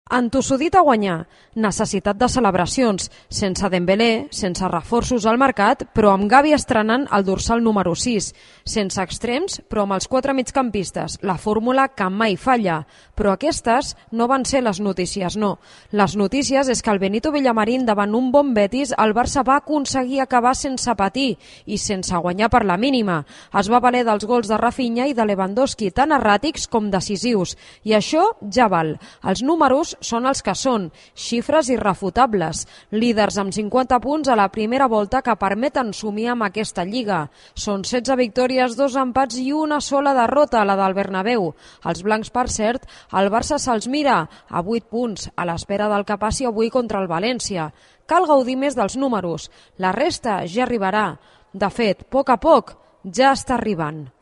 Entossudit a guanyar, necessitat de celebracions, sense Dembélé, sense reforços al mercat, però amb Gavi estrenant el dorsal número 6, sense extrems, però amb els 4 migcampistes, la fórmula que mai falla. Però aquestes no van ser les notícies, no. Les notícies és que el Benito Villamarín, davant un bon Betis, el Barça va aconseguir acabar sense patir i sense guanyar per la mínima. Es va valer dels gols de Rafinha i de Lewandowski, tan erràtics com decisius. I això ja val. Els números són els que són, xifres irrefutables, líders amb 50 punts a la primera volta que permeten somiar amb aquesta lliga. Són 16 victòries, 2 empats i una sola derrota, la del Bernabéu. Els blancs, per cert, el Barça se'ls mira a 8 punts, a l'espera del que passi avui contra el València. Cal gaudir més dels números, la resta ja arribarà. De fet, a poc ja està arribant.